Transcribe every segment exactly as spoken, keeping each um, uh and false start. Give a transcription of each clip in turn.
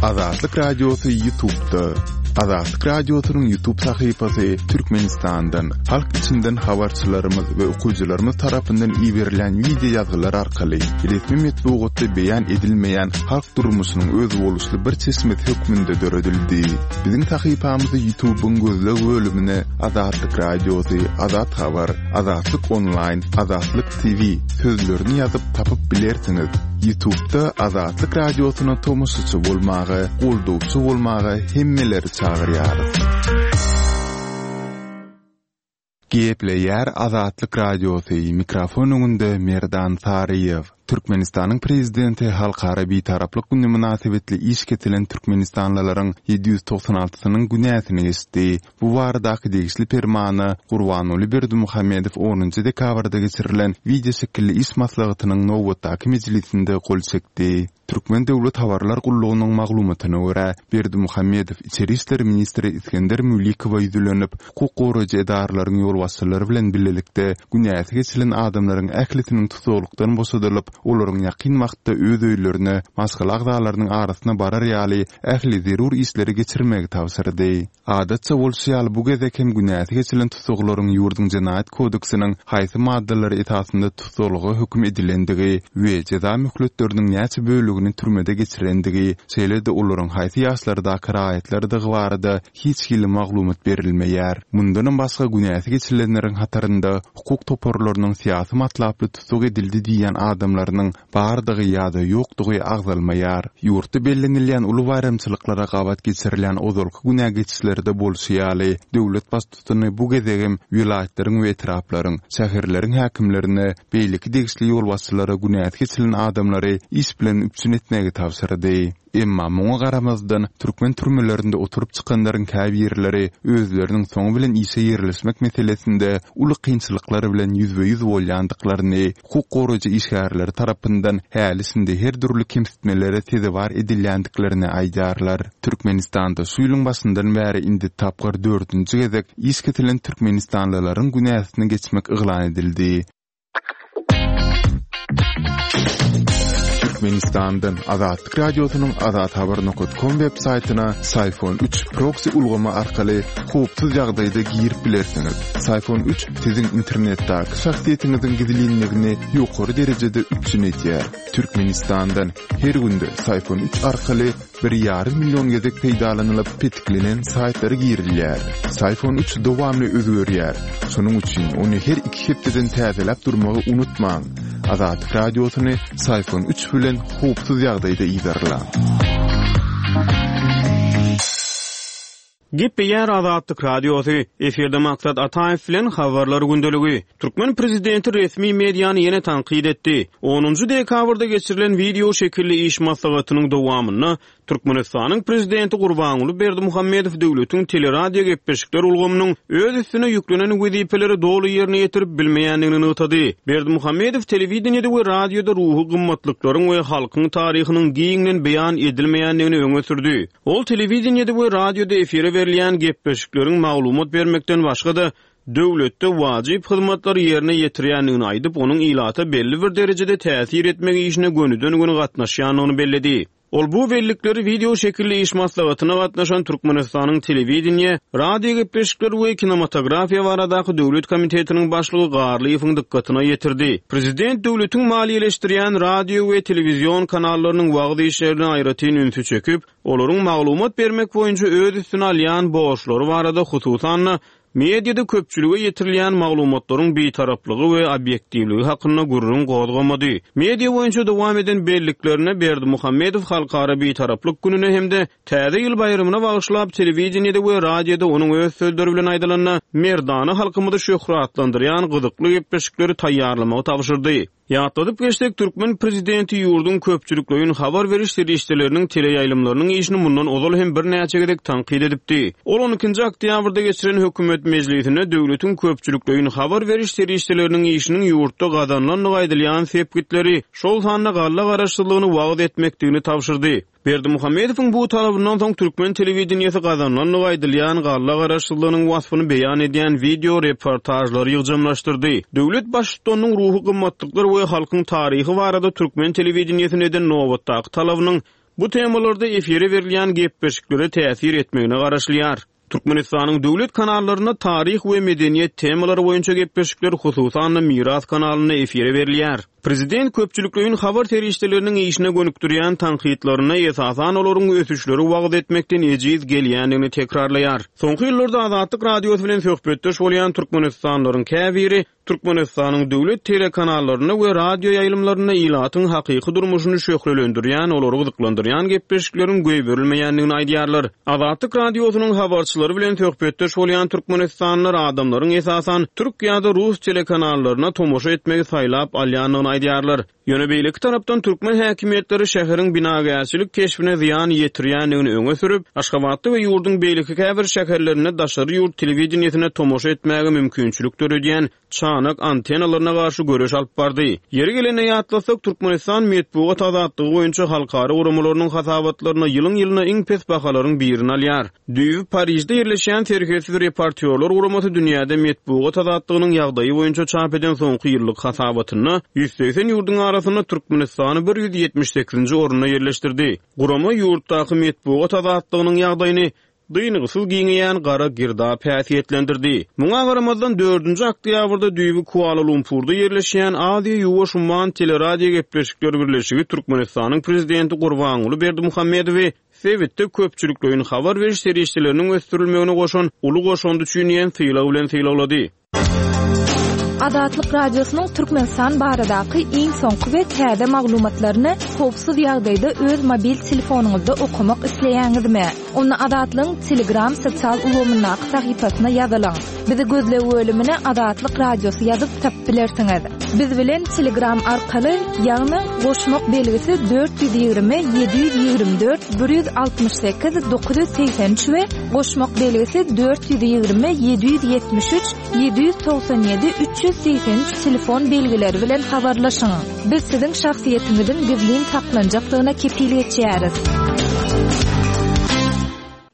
Azatlyk Radiosy YouTube'da. Azatlyk Radiosynyň YouTube sahypasy Türkmenistandan, halk içinden habarçylarymyz we okyjylarymyz tarapyndan iberilen wideo ýazgylar arkaly resmi metbugatda beýan edilmeýän halk durmuşynyň özboluşly bir çeşmesi hökmünde döredildi. Biziň sahypamyzy YouTube'yň gözleg bölümine Azatlyk Radiosy, Azat Habar, Azatlyk Online, Azatlyk T V sözlerini ýazyp tapyp bilersiňiz. YouTube'da Azatlyk Radiosyna tomaşaçy bolmaga, goldawçy bolmaga hemmeleri çagyrýarys. Gepleýär Azatlyk Radiosy, mikrofon öňünde Merdan Saryýew. Türkmenistanyň prezidenti Halkara Bitaraplyk güni mynasybetli iş kesilen türkmenistanlylaryň ýedi ýüz togsan altysynyň günäsini geçdi. Bu baradaky degişli permana Gurbanguly Berdimuhamedow onunjy dekabrda geçirilen wideo şekilli iş maslahatynyň nobatdaky mejlisinde gol çekdi. Türkmen döwlet habarlar gullugynyň maglumatyna görä, Berdimuhamedow Içeri işler ministri Isgender Mülikowa ýüzlenip, hukuk goraýjy edaralaryň ýolbaşçylary bilen birlikde günäsi geçilen adamlaryň ählisiniň tutuklukdan boşadylyp, olaryň ýakyn wagtda öz öýlerine, maşgala agzalarynyň arasyna barar ýaly ähli zerur işleri geçirmegi tabşyrdy. Adatça bolşy ýaly bu gezek hem günäsi geçilen tutuklaryň ýurduň jenaýat kodeksiniň haýsy maddalary esasynda tutuklyga höküm edilendigi we jeza möhletleriniň näçe bölegini türmede geçirendigi, şeýle-de olaryň haýsy ýaşlardaky raýatlardygy barada hiç hili maglumat berilmeýär. Mundanam başga günäsi geçilenleriň hatarynda hukuk toparlarynyň syýasy matlaply tutuk edildi diýen adamlarynyň bardygy ýa-da ýokdugy agzalmaýar. Ýurtda bellenilýän uly baýramçylyklara gabat geçirilýän ozalky günä geçişlerde bolşy ýaly, döwlet baştutany bu gezegem welaýatlaryň we etraplaryň, şäherleriň häkimlerine, beýleki degişli ýolbaşçylara günäsi geçilen adamlary iş bilen üpjün etmegi tabşyrdy. Emma muňa garamazdan türkmen türmelerinde oturyp çykanlaryň käbirleri özleriniň soňy bilen işe ýerleşmek meselesinde uly kynçylyklar bilen ýüzbe-ýüz bolýandyklaryny, hukuk goraýjy işgärleri tarapyndan häli-şindi her dürli kemsitmelere sezewar edilýändiklerini aýdýarlar. Türkmenistanda şu ýylyň başyndan bäri indi tapgyr dördünji gezek iş kesilen türkmenistanlylaryň günäsini geçmek yglan edildi. Türkmenistandan Azatlyk Radiosynyň azathabar nokta com web saýtyna Syfon üç proxy ulgamy arkaly howpsuz ýagdaýda girip bilersiňiz. Syfon üç siziň internetdäki şahsyýetiňiziň gizlinligini ýokary derejede üpjün edýär. Türkmenistandan her günde Syfon üç arkaly bir ýarym million gezek peýdalanylyp petiklenen saýtlara girilýär. Syfon üç dowamly özgerýär. Şonuň üçin ony her iki hepdeden täzeläp durmagy unutmaň. Azatlyk Radiosyny Syfon üç bilen howpsuz ýagdaýda yzarlaň. Gepleýär Azatlyk Radiosy. Efirde Maksat Ataýew bilen habarlar gündeligi. Türkmen prezidenti resmi mediany ýene tankyt etdi. Onunjy dekabrda geçirilen wideo şekilli iş maslahatynyň dowamynda Türkmenistanyň prezidenti Gurbanguly Berdimuhamedow döwletiň teleradio gepleşikler ulgamynyň öz üstüne ýüklenen wezipeleri doly ýerine ýetirip bilmeýändigini nygtady. Berdimuhamedow telewideniýede we radioda ruhy gymmatlyklaryň we halkyň taryhynyň giňden beýan edilmeýändigini öňe sürdi. Ol telewideniýede we radioda efire berilýän gepleşikleriň maglumat bermekden başga-da döwletde wajyp hyzmatlary ýerine ýetirýändigini aýdyp, onuň ilata belli bir derejede täsir etmek işine gönüden-göni gatnaşýandygyny belledi. Ol bu bellikleri wideo şekilli iş maslahatyna gatnaşan Türkmenistanyň telewideniýe, radio gepleşikleri we kinematografiýa baradaky döwlet komitetiniň başlygy Garlyýewiň dykgatyna ýetirdi. Prezident döwletiň maliýeleşdirýän radio we telewizion kanallarynyň wagyz işlerine aýratyn ünsi çekip, olaryň maglumat bermek boýunça öz üstüne alýan borçlary barada hususan-da mediada köpçülige ýetirilýän maglumatlaryň bitaraplygy we obýektiwligi hakynda gürrüň gozgamady. Media boýunça dowam eden belliklerine Berdimuhamedow Halkara Bitaraplyk gününe hem-de Täze ýyl baýramyna bagyşlap telewideniýede we radioda onuň öz sözleri bilen aýdylanda merdana halkymyzy şöhratlandyrýan gyzykly gepleşikleri taýýarlamagy tabşyrdy. Ýatladyp geçsek, türkmen prezidenti ýurduň köpçülikleýin habar beriş serişdeleriniň teleýaýlymlarynyň işini mundan ozal hem birnäçe gezek tankyt edipdi. Ol on ikinji oktýabrda geçiren hökümet mejlisinde döwletiň köpçülikleýin habar beriş serişdeleriniň işiniň ýurtda gazanylandygy aýdylýan sepgitleri, şol sanda galla garaşsyzlygyny wagyz etmekdigini tabşyrdy. Berdimuhamedowyň bu talabyndan soň türkmen telewideniýesi gazanylandygy aýdylýan galla garaşsyzlygynyň waspyny beýan edýän wideo reportažlary ýygjamlaşdyrdy. Döwlet baştutanynyň ruhy gymmatlyklar we halkyň taryhy barada türkmen telewideniýesine eden nobatdaky talabynyň bu temalarda efire berilýän gepleşiklere täsir etmegine garaşylýar. Türkmenistanyň döwlet kanallarynda taryh we medeniýet temalary boýunça gepleşikler hususan-da Miras kanalynda efire berilýär. Prezident köpçülikleýin habar serişdeleriniň işine gönükdirýän tankytlaryna esasan olaryň ösüşleri wagyz etmekden ejiz gelýändigini tekrarlaýar. Soňky ýyllarda Azatlyk Radiosy bilen söhbetdeş bolýan Türkmenistanlylaryň käbiri Türkmenistanyň döwlet telekanallarynda we radio ýaýlymlarynda ilatyň hakyky durmuşyny şöhlelendirýän, olary gyzyklandyrýan gepleşikleriň goýberilmeýändigini aýdýarlar. Azatlyk Radiosynyň habarçylary bilen söhbetdeş bolýan Türkmenistanlylar adamlaryň esasan türk ýa-da rus telekanallaryna tomaşa etmegi saýlap alýandygyny aýdýarlar. Ýöne beýleki tarapdan türkmen häkimiýetleri şäheriň binagärçilik keşbine zyýan ýetirýändigini öňe sürüp, Aşgabatda we ýurduň beýleki käbir şäherlerinde daşary ýurt telewideniýesine tomaşa etmäge mümkinçilik döredýän çanak antenalaryna garşy göreş alyp bardy. Ýeri gelende ýatlasak, Türkmenistan metbugat azatlygy boýunça halkara guramalarynyň hasabatlaryna ýylyň-ýylyna iň pes bahalaryň birini alýar. Düýbi Parižde ýerleşýän Serhetsiz reportýorlar guramasy dünýäde metbugat azatlygynyň ýagdaýy boýunça çap eden soňky ýyllyk hasabatynda ýüz segsen ýurduň arasynda Türkmenistany bir ýüz ýetmiş sekizinji orunda ýerleşdirdi. Gurama ýurtdaky metbugat azatlygynyň ýagdaýyny dyngysyz giňeýän gara girdap häsiýetlendirdi. Muňa garamazdan dördünji oktýabrda düýbi Kuala-Lumpurda ýerleşýän Aziýa Ýuwaş Umman teleradio gepleşikler birleşigi Türkmenistanyň prezidenti Gurbanguly Berdimuhamedowy sebitde köpçülikleýin habar beriş serişdeleriniň ösdürilmegine goşan uly goşandy üçin diýen sylag bilen sylaglady. Azatlyk Radiosynyň Türkmenistan baradaky iň soňky we täze maglumatlaryny howpsuz ýagdaýda öz mobil telefonyňyzda okamak isleýäňizmi? Onda Azatlygyň Telegram sosial ulgamyndaky sahypasyna ýazylyň. Bizi gözleg bölümine Azatlyk Radiosy ýazyp tapyp bilersiňiz. Biz bilen Telegram arkaly, ýagny goşmak belgisi dört ýüz ýigrimi ýedi ýüz ýigrimi dört bir ýüz altmyş sekiz dokuz ýüz segsen üç we goşmak belgisi dört ýüz ýigrimi ýedi ýüz ýetmiş üç ýedi ýüz togsan ýedi üç ýüz segsen üç telefon belgileri bilen habarlaşyň. Biz siziň şahsyýetiňiziň gizlin saklanjakdygyna kepil geçýäris.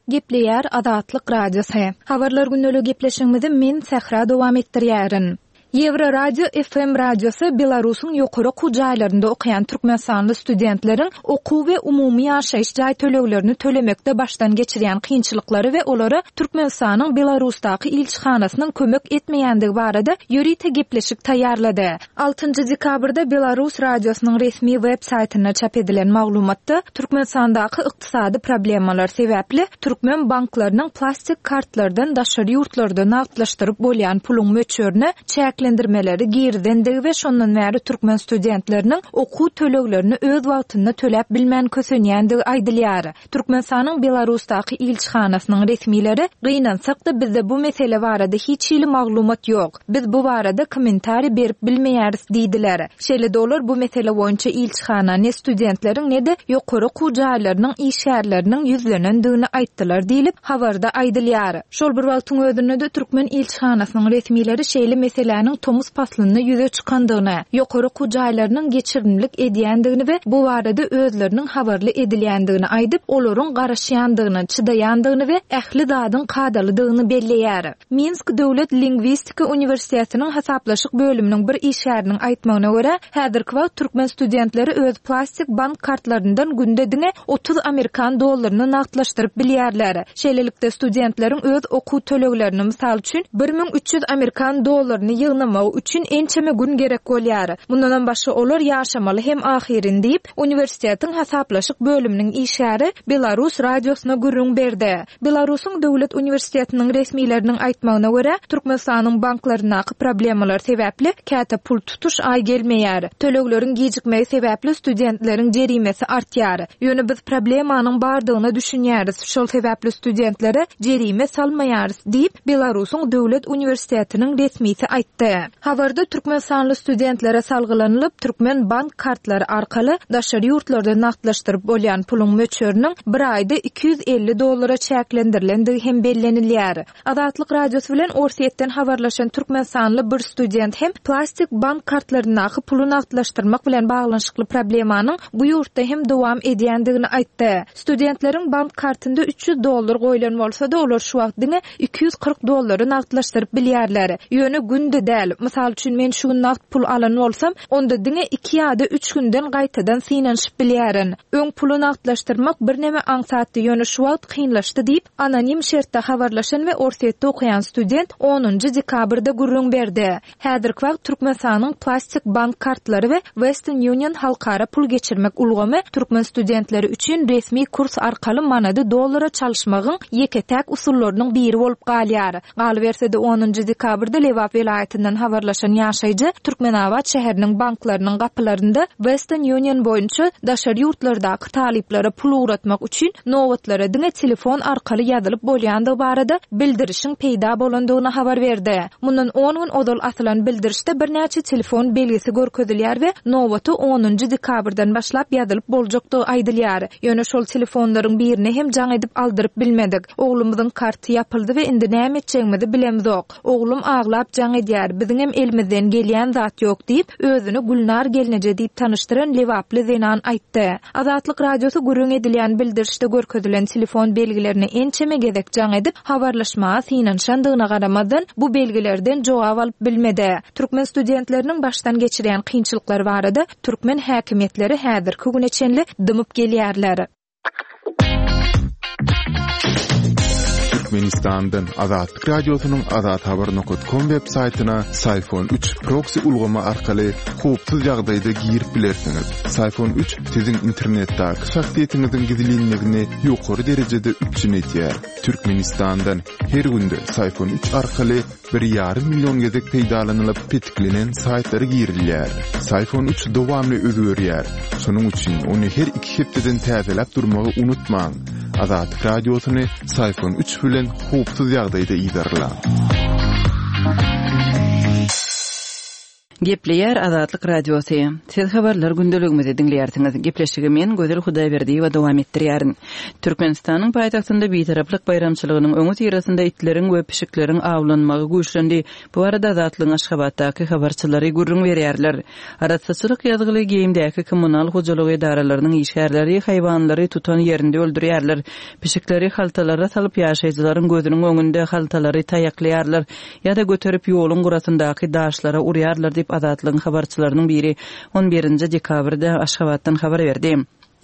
Gepleýär Azatlyk Radiosy. Habarlar gündelik gepleşigimizi men Sähra dowam etdirýärin. Ýewro Radio F M radiosy Belarusyň ýokary okuw jaýlarynda okaýan türkmenistanly studentleriň okuw we umumy ýaşaýyş jaý töleglerini tölemekde başdan geçirýän kynçylyklary we olara Türkmenistanyň Belarusdaky ilçihanasynyň kömek etmeýändigi barada ýörite gepleşik taýýarlady. Altynjy dekabrda Belarus radiosynyň resmi web saýtynda çap edilen maglumatda Türkmenistandaky ykdysady problemalar sebäpli türkmen banklarynyň plastik kartlardan daşary ýurtlarda nagtlaşdyryp bolýan puluň möçberine çäklendirmeleri girizendigi we şondan bäri türkmen studentleriniň okuw töleglerini öz wagtynda töläp bilmän kösenýändigi aýdylýar. Türkmenistanyň Belarusdaky ilçihanasynyň resmileri gynansak-da bizde bu mesele barada hiç hili maglumat ýok. Biz bu barada kommentariý berip bilmeýäris diýdiler. Şeýle dolar bu mesele boýunça ilçihana ne studentleriň ne-de ýokary okuw jaýlarynyň işgärleriniň ýüzlenendigini aýtdylar diýlip habarda aýdylýar. Şol bir wagtyň özünde-de türkmen ilçihanasynyň resmileri şeýle meseläniň tomus paslynda ýüze çykandygyny, ýokary okuw jaýlarynyň geçirimlilik edýändigini we bu barada özleriniň habarly edilýändigini aýdyp, olaryň garaşýandygyny, çydaýandygyny we ähli zadyň kadalydygyny belleýär. Minsk Döwlet Lingwistika Uniwersitetiniň hasaplaşyk bölüminiň bir işgäriniň aýtmagyna görä, häzirki wagt türkmen studentleri öz plastik bank kartlaryndan günde diňe otuz amerikan dollaryny nagtlaşdyryp bilýärler. Şeýlelikde studentleriň öz okuw töleglerini, mysal üçin, bir müň üç ýüz amerikan dollaryny ýygnamagy üçin ençeme gün gerek bolýar. Mundan başga olar ýaşamaly hem ahyrin diýip, uniwersitetiň hasaplaşyk bölüminiň işgäri Belarus radiosyna gürrüň berdi. Belarusyň Döwlet Uniwersitetiniň resmileriniň aýtmagyna görä, Türkmenistanyň banklaryndaky problemalar sebäpli käte pul tutuş aý gelmeýär. Tölegleriň gijikmegi sebäpli studentleriň jerimesi artýar. Ýöne biz problemanyň bardygyna düşünýäris. Şol sebäpli studentlere jerime salmaýarys diýip, Belarusyň Döwlet Uniwersitetiniň resmisi aýtdy. Habarda türkmenistanly studentlere salgylanylyp, türkmen bank kartlary arkaly daşary ýurtlarda nagtlaşdyryp bolýan puluň möçberiniň bir aýda iki ýüz elli dollara çäklendirilendigi hem bellenilýär. Azatlyk Radiosy bilen Orsýetden habarlaşan türkmenistanly bir student hem plastik bank kartlaryndaky puly nagtlaşdyrmak bilen baglanyşykly problemanyň bu ýurtda hem dowam edýändigini aýtdy. Studentleriň bank kartynda üç ýüz dollar goýlan bolsa-da, olar şu wagt diňe iki ýüz kyrk dollary nagtlaşdyryp bilýärler. Ýöne günde däl, däl. Mysal üçin, men şu gün nagt pul alan bolsam, onda diňe iki ýa-da üç günden gaýtadan synanyşyp bilýärin. Öň puly nagtlaşdyrmak birneme aňsatdy, ýöne şu wagt kynlaşdy diýip, anonim şertde habarlaşan we Orsýetde okaýan student onunjy dekabrda gürrüň berdi. Häzirki wagt Türkmenistanyň plastik bank kartlary we Western Union halkara pul geçirmek ulgamy türkmen studentleri üçin resmi kurs arkaly manady dollara çalyşmagyň ýeke-täk usullarynyň biri bolup galýar. Galyberse-de, onunjy dekabrda Lebap welaýatyndan habarlaşan ýaşaýjy Türkmenabat şäheriniň banklarynyň gapylarynda Western Union boýunça daşary ýurtlardaky talyplara pul ugratmak üçin nobatlara diňe telefon arkaly ýazylyp bolýandygy barada bildirişiň peýda bolandygyny habar berdi. Mundan on gün ozal asylan bildirişde birnäçe telefon belgisi görkezilýär we nobata onunjy dekabrdan başlap ýazylyp boljakdygy aýdylýar. Ýöne şol telefonlaryň birine hem jaň edip aldyryp bilmedik. Oglumyzyň karty ýapyldy we indi näme etjegimizi bilemzok. Oglum aglap jaň edýär, biziňem elimizden gelýän zat ýok diýip, özüni Gülnar gelneje diýip tanyşdyran lebaply zenan aýtdy. Azatlyk Radiosy gürrüň edilýän bildirişde görkezilen telefon belgilerine ençeme gezek jaň edip, habarlaşmaga synanyşandygyna garamazdan, bu belgilerden jogap alyp bilmedi. Türkmen studentleriniň başdan geçirýän kynçylyklary barada türkmen häkimiýetleri häzirki güne çenli dymyp gelýärler. Türkmenistandan Azatlyk Radiosynyň azathabar nokat com web saýtyna Syfon üç proksi ulgamy arkaly howpsuz ýagdaýda girip bilersiňiz. Syfon üç siziň internetdäki şahsyýetiňiziň gizlinligini ýokary derejede üpjün edýär. Türkmenistandan her günde Syfon üç arkaly bir ýarym million gezek peýdalanylyp petiklenen saýtlara girilýär. Syfon üç dowamly özgerýär. Şonuň üçin ony her iki hepdeden täzeläp durmagy unutmaň. Azatlyk Radiosyny Syfon üç bilen howpsuz ýagdaýda yzarlaň. Gepleýär Azatlyk Radiosy. Siz habarlar gündeligimizi diňleýärsiňiz. Gepleşigi men Gözel Hudaýberdiýewa dowam etdirýärin. Türkmenistanyň paýtagtynda Bitaraplyk baýramçylygynyň öňi syrasynda itleriň we pişikleriň awlanmagy güýçlendi. Bu barada Azatlygyň Aşgabatdaky habarçylary gürrüň berýärler. Arassaçylyk ýazgyly geýimdäki kommunal hojalyk edaralarynyň işgärleri haýwanlary tutan ýerinde öldürýärler. Pişikleri haltalara salyp ýaşaýjylaryň gözüniň öňünde haltalary taýaklaýarlar ýa-da göterip ýoluň gurasyndaky daşlara urýarlar diýip Azatlygyň habarçylarynyň biri on birinji dekabrda Aşgabatdan habar berdi.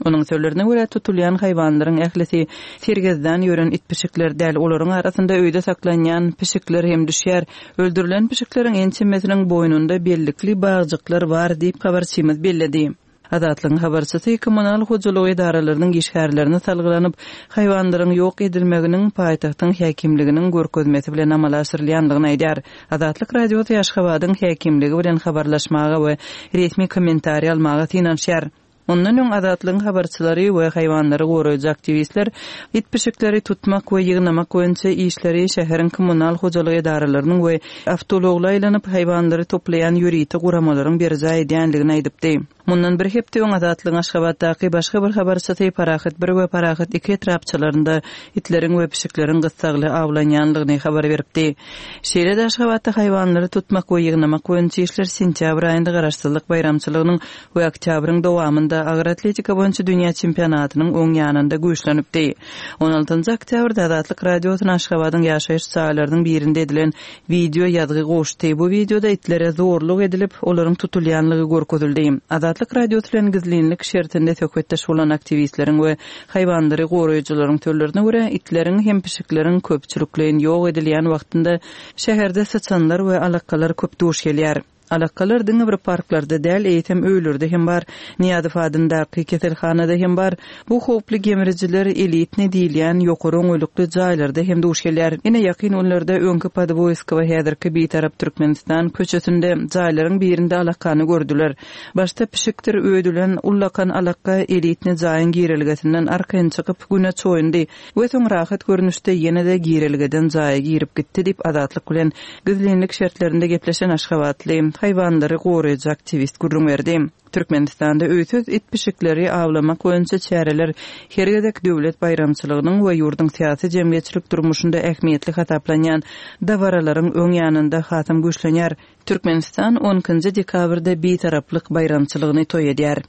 Onuň sözlerine görä tutulýan haýwanlaryň ählisi sergezdan ýören it pişikler däl, olaryň arasynda öýde saklanýan pişikler hem düşýär. Öldürilen pişikleriň ençemesiniň boýnunda bellikli bagjyklar bar diýip habarçymyz belledi. Azatlygyň habarçysy kommunal hojalyk edaralarynyň işgärlerini salgylanyp, haýwanlaryň ýok edilmeginiň paýtagtyň häkimliginiň görkezmesi bilen amala aşyrylýandygyny aýdar. Azatlyk Radiosy Aşgabadyň häkimligi bilen habarlaşmaga we resmi kommentariý almaga synanyşýar. Ondan öň Azatlygyň habarçylary we haýwanlary goraýjy aktiwistler it pişikleri tutmak we ýygnamak boýunça işleri şäheriň kommunal hojalyk edaralarynyň we awtoulagla aýlanyp haýwanlary toplaýan ýörite guramalaryň berjaý edýändigini aýdypdy. Mundan bir hepde öň Azatlygyň Aşgabatdaky başga bir habarçysy Parahat bir we Parahat iki etrapçalarynda itleriň we pişikleriň gyssagly awlanýandygyny habar beripdi. Şeýle-de Aşgabatda haýwanlary tutmak we ýygnamak boýunça işler sentýabr aýynda Garaşsyzlyk baýramçylygynyň we oktýabryň dowamynda agyr atletika boýunça dünýä çempionatynyň oň ýanynda güýçlenipdi. On altynjy oktýabrda Azatlyk Radiosyna Aşgabadyň ýaşaýyş jaýlarynyň birinde edilen video ýazgy goşdy. Bu videoda itlere zorluk edilip, olaryň tutulýanlygy görkezildi. Azatlyk Radiosy bilen gizlinlik şertinde söhbetdeş bolan aktiwistleriň we haýwanlary goraýjylaryň sözlerine görä, itleriň hem pişikleriň köpçülikleýin ýok edilýän wagtynda şäherde syçanlar we alakalar köp duş gelýär. Alakalar diňe bir parklarda däl, eýsem öýlerde hem bar. Niýazow adyndaky keselhanada hem bar. Bu howply gemrijiler elitne diýilýän ýokary oňaýlykly jaýlarda hem duş gelýär. Ine ýakyn günlerde öňki Podwoýskowa häzirki Bitarap Türkmenistan köçesinde jaýlaryň birinde alakany gördüler. Başda pişikdir öýdülen ullakan alaka elitne jaýyň girelgesinden arkaýyn çykyp güne çoýundy we soň rahat görnüşde ýene-de girelgeden jaýa girip gitdi diýip Azatlyk bilen gizlinlik şertlerinde gepleşen Aşgabatly haýwanlary goraýjy aktiwist gürrüň berdi. Türkmenistanda öýsüz it pişikleri awlamak boýunça çäreler her gezek döwlet baýramçylygynyň we ýurduň syýasy jemgyýetçilik durmuşynda ähmiýetli hasaplanýan dabaralaryň öň ýanynda hasam güýçlenýär. Türkmenistan on ikinji dekabrda Bitaraplyk baýramçylygyny toý edýär.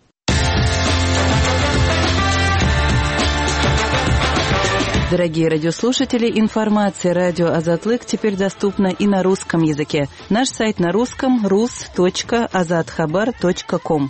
Дорогие радиослушатели, информация радио Азатлык теперь доступна и на русском языке. Наш сайт на русском rus.azathabar.com.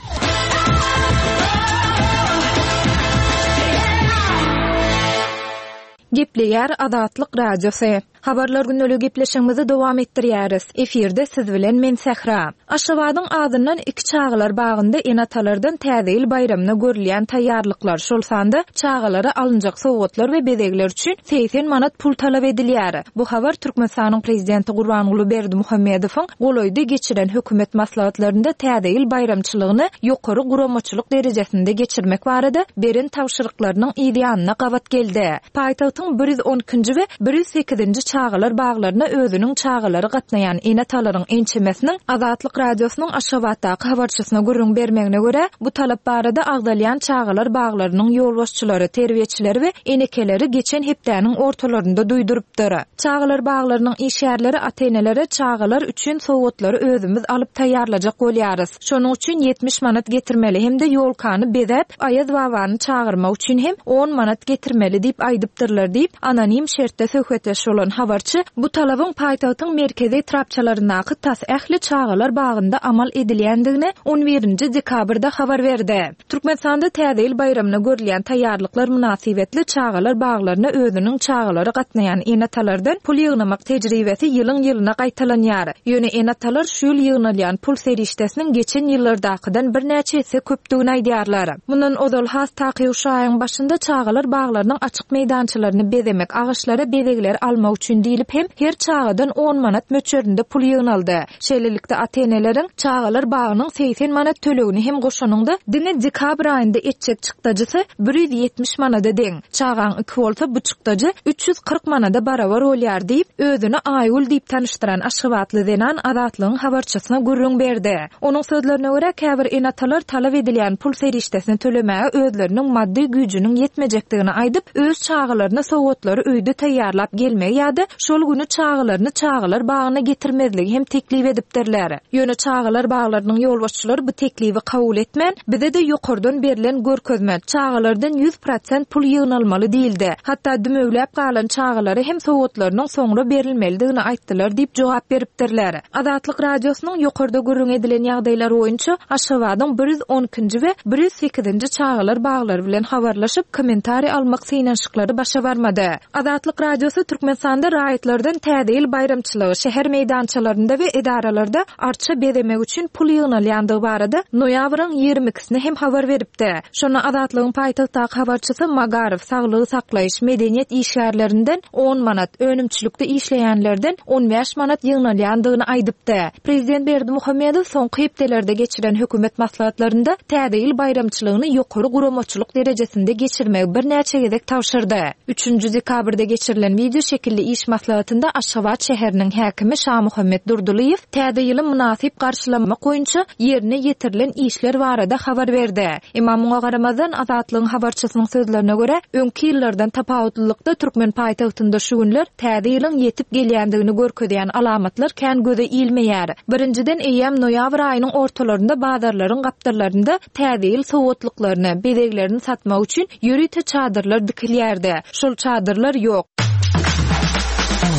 Gepleýär Azatlyk Radiosy. Habarlar gündeligi gepleşigimizi dowam etdirýäris. Efirde siz bilen men Sähra. Aşgabadyň adyndan iki çagalar bagynda ene-atalardan Täze ýyl baýramyna görülýän taýýarlyklar, şol sanda çagalara alynjak sowgatlar we bezegler üçin segsen manat pul talap edilýär. Bu habar Türkmenistanyň prezidenti Gurbanguly Berdimuhamedowyň golaýda geçiren hökümet maslahatlarynda Täze ýyl baýramçylygyny ýokary guramaçylyk derejesinde geçirmek barada beren tabşyryklarynyň ýanyna gabat geldi. Paýtagtyň bir ýüz on ikinji we bir ýüz sekizinji çagalar baglaryna özüniň çagalary gatnaýan ene-atalaryň ençemesiniň Azatlyk Radiosynyň Aşgabatdaky habarçysyna gürrüň bermegine görä, bu talap barada agzalýan çagalar baglarynyň ýolbaşçylary, terbiýeçileri we enekeleri geçen hepdäniň ortalarynda duýdurypdyr. Çagalar baglarynyň işgärleri ata-enelere çagalar üçin sowgatlary özümiz alyp taýýarlajak bolýarys. Şonuň üçin ýetmiş manat getirmeli hem-de ýolkany bezäp, Aýaz babany çagyrmak üçin hem on manat getirmeli diýip aýdypdyrlar diýip, anonim şertde söhbetdeş bolan habarçy bu talabyň paýtagtyň merkezi etrapçalaryndaky tas ähli çagalar bagynda amal edilýändigini on birinji dekabrda habar berdi. Türkmenistanda Täze ýyl baýramyna görülýän taýýarlyklar mynasybetli çagalar baglaryna özüniň çagalary gatnaýan ene-atalardan pul ýygnamak tejribesi ýylyň ýylyna gaýtalanýar. Ýöne ene-atalar şu ýyl ýygnalýan pul serişdesiniň geçen ýyllardakydan birnäçe esse köpdügini aýdýarlar. Mundan ozal has takyk şu aýyň başynda çagalar baglarynyň açyk meýdançalaryny bezemek, agaçlara bezegler almak üçin diýlip hem her çagadan on manat möçberinde pul ýygnaldy. Şeýlelikde ata-eneleriň çagalar bagynyň segsen manat tölegini hem goşanyňda diňe dekabr aýynda etjek çykdajysy bir ýüz ýetmiş manada deň. Çagaň iki bolsa bu çykdajy üç ýüz kyrk manada barabar bolýar diýip, özüni Aýgül diýip tanyşdyran Aşgabatly zenan Azatlygyň habarçysyna gürrüň berdi. Onuň sözlerine görä käbir ene-atalar talap edilýän pul serişdesini tölemäge özleriniň maddy güýjüniň ýetmejekdigini aýdyp, öz çagalaryna sowgatlary öýde taýýarlap gelmegi ýa-da şol günü çagalaryny çagalar bagyna getirmezligi hem teklip edipdirler. Ýöne çagalar baglarynyň ýolbaşçylary bu teklibi kabul etmän, bize de ýokardan berlen görkezme, çagalardan ýüz prosent pul ýygnalmaly diýildi. Hatda dümewläp galan çagalara hem sowgatlarynyň soňra berilmelidigini aýtdylar diýip jogap beripdirler. Azatlyk Radiosynyň ýokarda gürrüň edilen ýagdaýlar boýunça Aşgabadyň bir ýüz on ikinji we bir ýüz sekizinji çagalar baglary bilen habarlaşyp kommentariý almak synanyşyklary başa barmady. Azatlyk Radiosy Türkmenistanda raýatlardan Täze ýyl baýramçylygy şäher meýdançalarynda we edaralarda arça bezemek üçin pul ýygnalýandygy barada noýabryň ýigrimi ikisine hem habar beripdi. Şonda Azatlygyň paýtagtdaky habarçysy Magaryf saglygy saklaýyş medeniýet işgärlerinden on manat, önümçilikde işleýänlerden on bäş manat ýygnalýandygyny aýdypdy. Prezident Berdimuhamedow soňky hepdelerde geçiren hökümet maslahatlarynda Täze ýyl baýramçylygyny ýokary guramaçylyk derejesinde geçirmegi birnäçe gezek tabşyrdy. Üçünji dekabrda geçirilen video şekilli iş maslahatynda Aşgabat şäheriniň häkimi Şamuhammet Durdulyýew Täze ýyly mynasyp garşylamak boýunça ýerine ýetirilen işler barada habar berdi. Emma muňa garamazdan Azatlygyň habarçysynyň sözlerine görä, öňki ýyllardan tapawutlylykda Türkmen paýtagtynda şu günler Täze ýylyň ýetip gelýändigini görkezýän alamatlar kän göze ilmeýär. Birinjiden eýýäm noýabr aýynyň ortalarynda bazarlaryň gapdallarynda Täze ýyl sowgatlyklaryny, bezeglerini satmak üçin ýörite çadyrlar dikilýärdi. Şol çadyrlar ýok.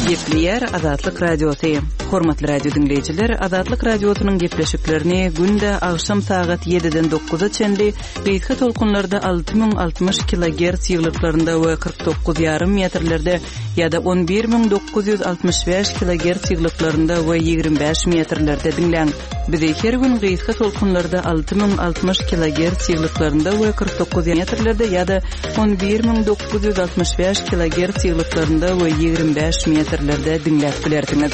Gepleýär Azatlyk Radiosy. Hormatly radio dinleýjiler, Azatlyk Radiosynyň gepleşiklerini günde agşam sagat ýediden dokuza çenli gysga tolkunlarda alty müň altmyş kilogertz ýyglyklarynda we kyrk dokuz ýarym metrlerde ýa-da on bir müň dokuz ýüz altmyş bäş kilogertz ýyglyklarynda we ýigrimi bäş metrlerde diňläň. Bizi her gün gysga tolkunlarda alty müň altmyş kilogertz ýyglyklarynda we kyrk dokuz metrlerde ýa-da on bir müň dokuz ýüz altmyş bäş kilogertz ýyglyklarynda we ýigrimi bäş metrlerde diňläp bilersiňiz.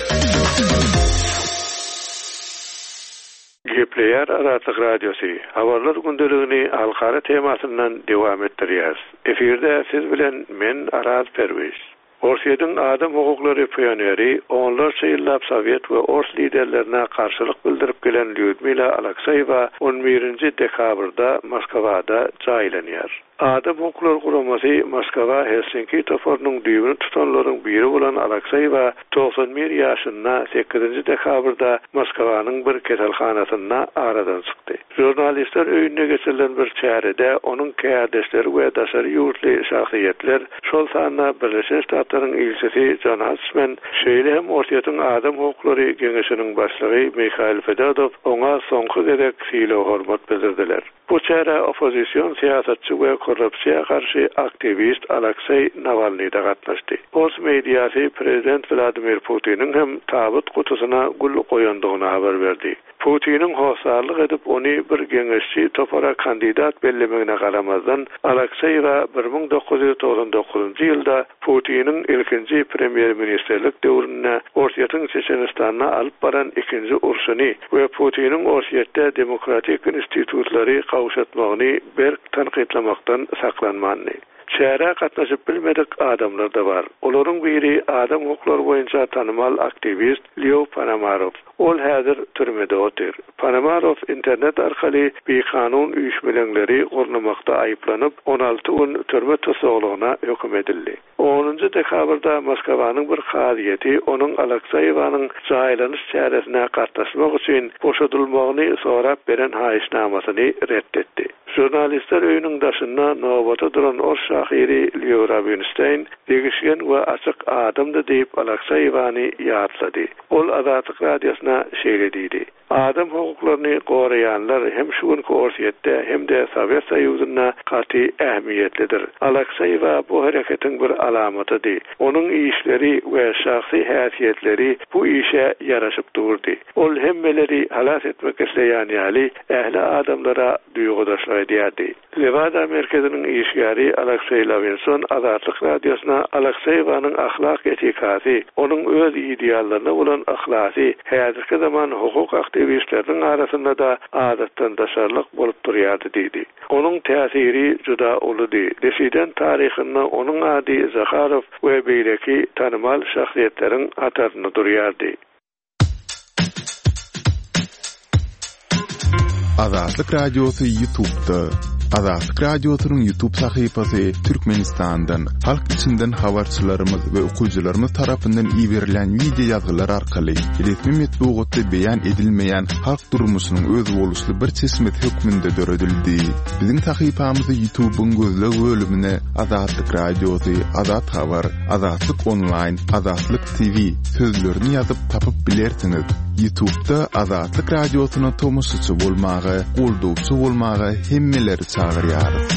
Gepleýär Azatlyk Radiosy. Habarlar gündeligini halkara temasyndan dowam etdirýär. Efirde siz bilen men Araz Perwiz. Orsýetiň adam hukuklary pioneri, onlarça ýyllap sowet we ors liderlerine garşylyk bildirip gelen Lýudmila Alekseýewa on birinji dekabrda Moskwada jaýlanýar. Adam hukuklary guramasy Moskwa Helsinki toparynyň düýbüni tutanlaryň biri bolan Alekseýewa togsan bir ýaşynda sekizinji dekabrda Moskwanyň bir keselhanasynda aradan çykdy. Žurnalistler öýünde geçirilen bir çärede onuň kärdeşleri we daşary ýurtly şahsyýetler, şol sanda Birleşen Ştatlaryň ilçisi Jon Huntsman, şeýle hem Orsýetiň adam hukuklary geňeşiniň başlygy Mihail Fedotow oňa soňky gezek sylag-hormat bildirdiler. Bu çärä oppozision syýasatçy we korrupsiýa garşy aktiwist Alekseý Nawalnyý da gatnaşdy. Ors mediasy prezident Wladimir Putiniň hem tabyt gutusyna gül goýandygyny habar berdi. Putiniň hossarlyk edip ony bir geňeşçi topara kandidat bellemegine garamazdan Alekseýewa bir müň dokuz ýüz togsan dokuzynjy ýylda Putiniň ilkinji premýer-ministrlik döwründe Orsýetiň Çeçenistanda alyp baran ikinji urşuny we Putiniň Orsýetde demokratik institutlary gawşatmagyny berk tankytlamakdan saklanmandy. Çärä gatnaşyp bilmedik adamlar da bar. Olaryň biri adam hukuklary boýunça tanymal aktiwist Leo Ponomarow. Ol häzir türmede otyr. Ponomarow internet arkaly bikanun üýşmeleňleri gurnamakda aýyplanyp, on alty gün türme tussaglygyna höküm edildi. Onunjy dekabrda Moskwanyň bir kazyýeti onuň Alekseýewanyň jaýlanyş çäresine gatnaşmak üçin boşadylmagyny sorap beren haýyşnamasyny ret etdi. Žurnalistler öýüniň daşynda nobata duran ors şahyry Leo Rabinstein degişgen we açyk adamdy diýip Alekseýewany ýatlady. Ol Azatlyk radiosyna şeýle diýdi: Adam hukuklaryny goraýanlar hem şu günki Orsýetde hem-de Sowet Soýuzynda gaty ähmiýetlidir. Alekseýewa bu hereketiň bir alamatydy. Onuň işleri we şahsy häsiýetleri bu işe ýaraşyp durdy. Ol hemmeleri halas etmek isleýän ýaly ähli adamlara duýgudaşlyk edýärdi. Lewada merkeziniň işgäri Alekseý Lavinson Azatlyk radiosyna Alekseýewanyň ahlak etikasy, onuň öz ideallaryna bolan yhlasy häzirki zaman hukuk aktiwistleriniň arasynda da adatdan daşarlyk bolup durýardy diýdi. Onuň täsiri juda uludy. Dissident taryhynda onuň ady Zaharow we beýleki tanymal şahsyýetleriň hatarynda durýardy. Azatlyk Radiosy YouTube'da. Azatlyk Radiosynyň YouTube sahypasy Türkmenistandan, halk içinden habarçylarymyz we okyjylarymyz tarapyndan iberilen video ýazgylar arkaly resmi metbugatda beýan edilmeýän halk durmuşynyň özboluşly bir çeşmesi hökmünde döredildi. Biziň sahypamyzy YouTube'yň gözleg bölümine Azatlyk Radiosy, Azat Habar, Azatlyk Online, Azatlyk T V sözlerini ýazyp tapyp bilersiňiz. YouTube'da Azatlyk Radiosyna tomaşaçy bolmaga, goldawçy bolmaga hemmeleri çagyrýarys.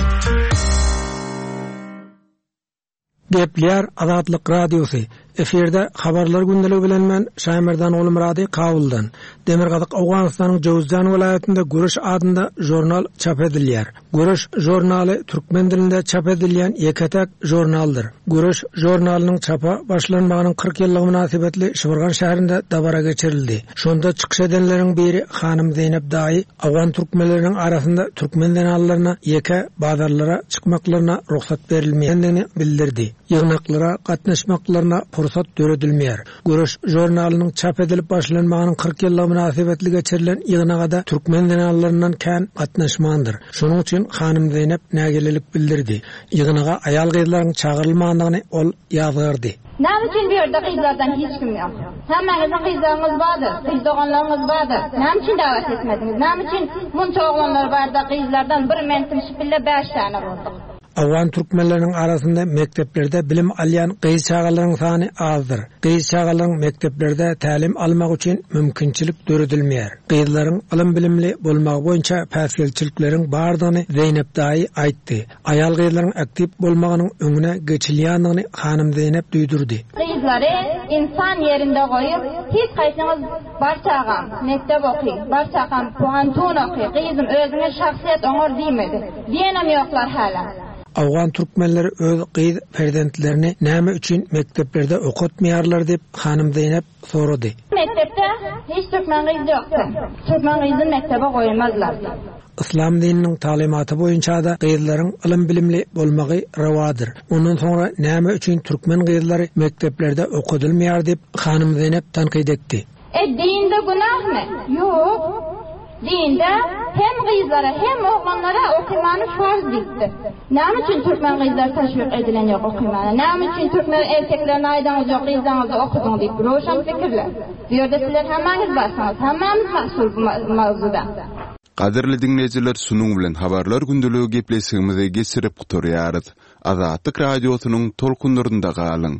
Gepler Azatlyk Radiosy. Efirde habarlar gündeligi bilen men Şaýmerdan Gulmyrady Kabuldan. Demirgazyk Owganystanyň Jowzjan welaýatynda Göreş adynda jurnal çap edilýär. Göreş jurnaly türkmen dilinde çap edilýän ýeke-tek jurnaldyr. Göreş jurnalynyň çapa başlanmagynyň kyrk ýyllygy mynasybetli Şybyrgan şäherinde dabara geçirildi. Şonda çykyş edenleriň biri Hanym Zeynep Daýy Awgan türkmenleriniň arasynda türkmen zenanlaryna ýeke bazarlara çykmaklaryna rugsat berilmeýändigini bildirdi. Ýygnaklara gatnaşmaklaryna pursat döredilmeýär. Göreş jurnalynyň çap edilip başlanmagynyň kyrk ýyllygy mynasybetli geçirilen ýygnagada türkmen zenanlaryndan kän gatnaşmandyr. Şonuň üçin Hanym Zeynep nägilelik bildirdi. Ýygnaga aýal gyzlaryň çagyrylmandygyny ol ýazgardy. Näme üçin bu ýerde gyzlardan hiç kim ýok? Hemmäňiziň gyzlaryňyz bardyr, gyz doganlaryňyz bardyr. Näme üçin dawet etmediňiz? Näme üçin munça oglanlar barda gyzlardan bir mentim şipille bäş tane bolduk? Awgan türkmenleriniň arasynda mekdeplerde bilim alýan gyz çagalaryň sany azdyr. Gyz çagalaryň mekdeplerde tälim almak üçin mümkinçilik döredilmeýär. Gyzlaryň ylym bilimli bolmagy boýunça päsgelçilikleriň bardygyny Zeynep daýy aýtdy. Aýal gyzlaryň aktiw bolmagynyň öňüne geçilýändigini Hanym Zeynep duýdurdy. Gyzlary insan ýerinde goýup, hiç haýsyňyz bar çagam mektep oky, bar çagam puhantun oky, gyzym özüňe şahsyýet oňar diýmedi. Diýenem ýoklar hala. Awgan türkmenleri öz gyz perzentlerini näme üçin mekdeplerde okatmaýarlar diýip Hanym Zeynep sorady. Mektepde hiç türkmen gyz ýokdy. Türkmen gyzyny mektebe goýmazlar. Yslam dininiň taglymaty boýunça-da gyzlaryň ylym-bilimli bolmagy rowadyr. Ondan soňra näme üçin türkmen gyzlary mekdeplerde okadylmaýar diýip, hanym Zeynep tankyt etdi. E dinde günahmy? Ýok. Dinde hem gyzlara hem oglanlara okumany farz diýipdir. Näme üçin türkmen gyzlar teşwik edilen ýok okumana? Näme üçin türkmen erkeklerine aýdaňyz ýok gyzlaryňyzy okudyň diýip röwşen pikirler. Bu ýerde sizler hemmäňiz barsyňyz, hemmämiz mas'ul bu mawzuda. Gadyrly diňleýjiler, şunuň bilen habarlar gündeligi gepleşigimizi geçirip gutarýarys. Azatlyk radiosynyň tolkunlarynda galyň.